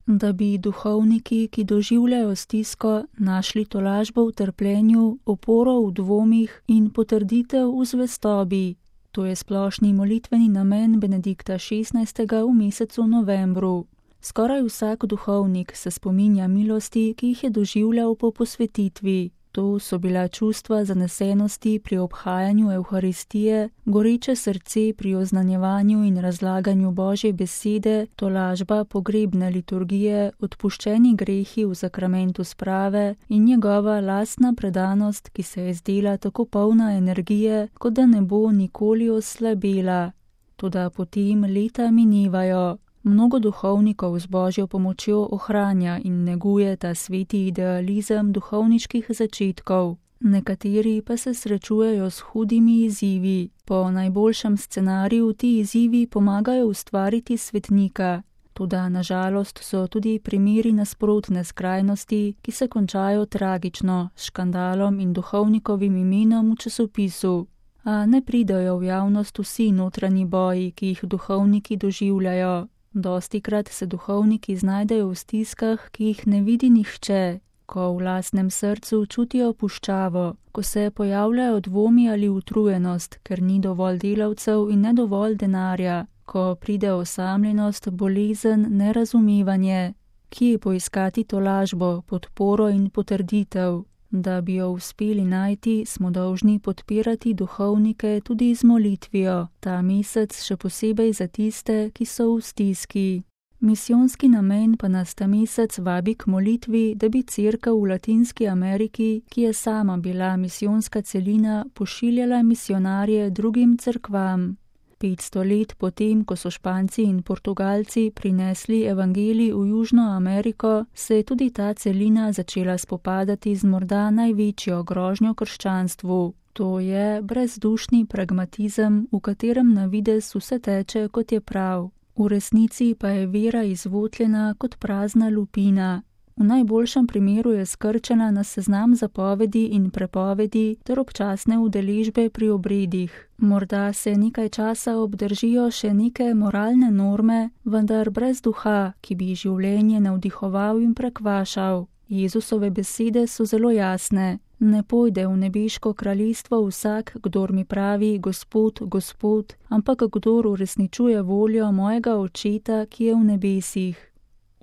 da bi duhovniki, ki doživljajo stisko, našli tolažbo v trpljenju, oporo v dvomih in potrditev v zvestobi. To je splošni molitveni namen Benedikta XVI. V mesecu novembru. Skoraj vsak duhovnik se spominja milosti, ki jih je doživljal po posvetitvi. To so bila čustva zanesenosti pri obhajanju Evharistije, goreče srce pri oznanjevanju in razlaganju Božje besede, tolažba pogrebne liturgije, odpuščeni grehi v zakramentu sprave in njegova lastna predanost, ki se je zdela tako polna energije, kot da ne bo nikoli oslabela. Toda potem leta minevajo. Mnogo duhovnikov z Božjo pomočjo ohranja in neguje ta sveti idealizem duhovniških začetkov. Nekateri pa se srečujejo s hudimi izzivi. Po najboljšem scenariju ti izzivi pomagajo ustvariti svetnika. Toda nažalost so tudi primeri nasprotne skrajnosti, ki se končajo tragično, s škandalom in duhovnikovim imenom v časopisu. A ne pridajo v javnost vsi notranji boji, ki jih duhovniki doživljajo. Dostikrat se duhovniki znajdejo v stiskah, ki jih ne vidi nihče, ko v lastnem srcu čutijo puščavo, ko se pojavljajo dvomi ali utrujenost, ker ni dovolj delavcev in ne dovolj denarja, ko pride osamljenost, bolezen, nerazumevanje, kje poiskati tolažbo, podporo in potrditev. Da bi jo uspeli najti, smo dolžni podpirati duhovnike tudi z molitvijo, ta mesec še posebej za tiste, ki so v stiski. Misijonski namen pa nas ta mesec vabi k molitvi, da bi Cerkev v Latinski Ameriki, ki je sama bila misijonska celina, pošiljala misionarje drugim cerkvam. 500 let potem, ko so Španci in Portugalci prinesli evangelij v Južno Ameriko, se je tudi ta celina začela spopadati z morda največjo grožnjo krščanstvu. To je brezdušni pragmatizem, v katerem na videz vse teče, kot je prav. V resnici pa je vera izvotljena kot prazna lupina. V najboljšem primeru je skrčena na seznam zapovedi in prepovedi ter občasne udeležbe pri obredih. Morda se nekaj časa obdržijo še neke moralne norme, vendar brez duha, ki bi življenje navdihoval in prekvašal. Jezusove besede so zelo jasne. Ne pojde v nebeško kraljestvo vsak, kdor mi pravi Gospod, Gospod, ampak kdor uresničuje voljo mojega Očeta, ki je v nebesih.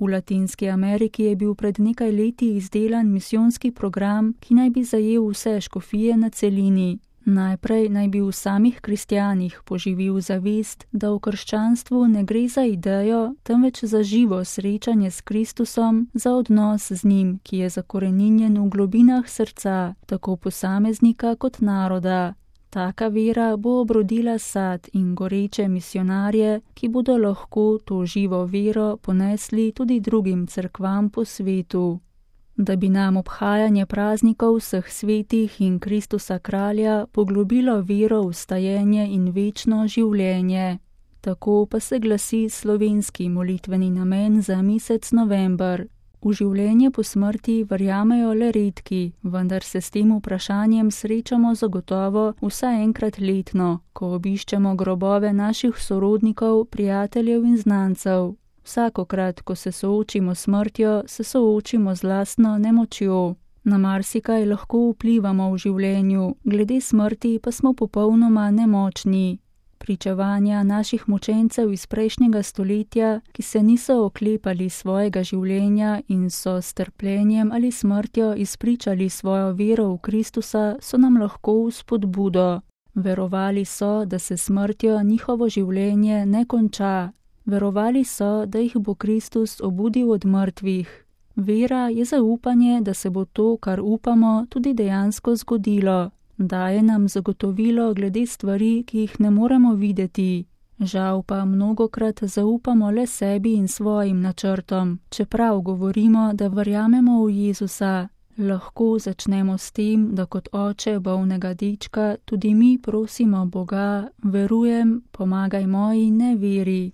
V Latinski Ameriki je bil pred nekaj leti izdelan misijonski program, ki naj bi zajel vse škofije na celini. Najprej naj bi v samih kristjanih poživil zavest, da v krščanstvu ne gre za idejo, temveč za živo srečanje s Kristusom, za odnos z njim, ki je zakoreninjen v globinah srca, tako posameznika kot naroda. Taka vera bo obrodila sad in goreče misionarje, ki bodo lahko to živo vero ponesli tudi drugim cerkvam po svetu. Da bi nam obhajanje praznikov vseh svetih in Kristusa kralja poglobilo vero v stajenje in večno življenje. Tako pa se glasi slovenski molitveni namen za mesec november. V življenje po smrti verjamejo le redki, vendar se s tem vprašanjem srečamo zagotovo vsaj enkrat letno, ko obiščemo grobove naših sorodnikov, prijateljev in znancev. Vsakokrat, ko se soočimo s smrtjo, se soočimo z lastno nemočjo. Na marsikaj lahko vplivamo v življenju, glede smrti pa smo popolnoma nemočni. Pričevanja naših mučencev iz prejšnjega stoletja, ki se niso oklepali svojega življenja in so s trpljenjem ali smrtjo izpričali svojo vero v Kristusa, so nam lahko v spodbudo. Verovali so, da se smrtjo njihovo življenje ne konča. Verovali so, da jih bo Kristus obudil od mrtvih. Vera je zaupanje, da se bo to, kar upamo, tudi dejansko zgodilo. Daje nam zagotovilo glede stvari, ki jih ne moremo videti. Žal pa mnogokrat zaupamo le sebi in svojim načrtom, čeprav govorimo, da verjamemo v Jezusa. Lahko začnemo s tem, da kot oče bolnega dečka tudi mi prosimo Boga, verujem, pomagaj moji neveri.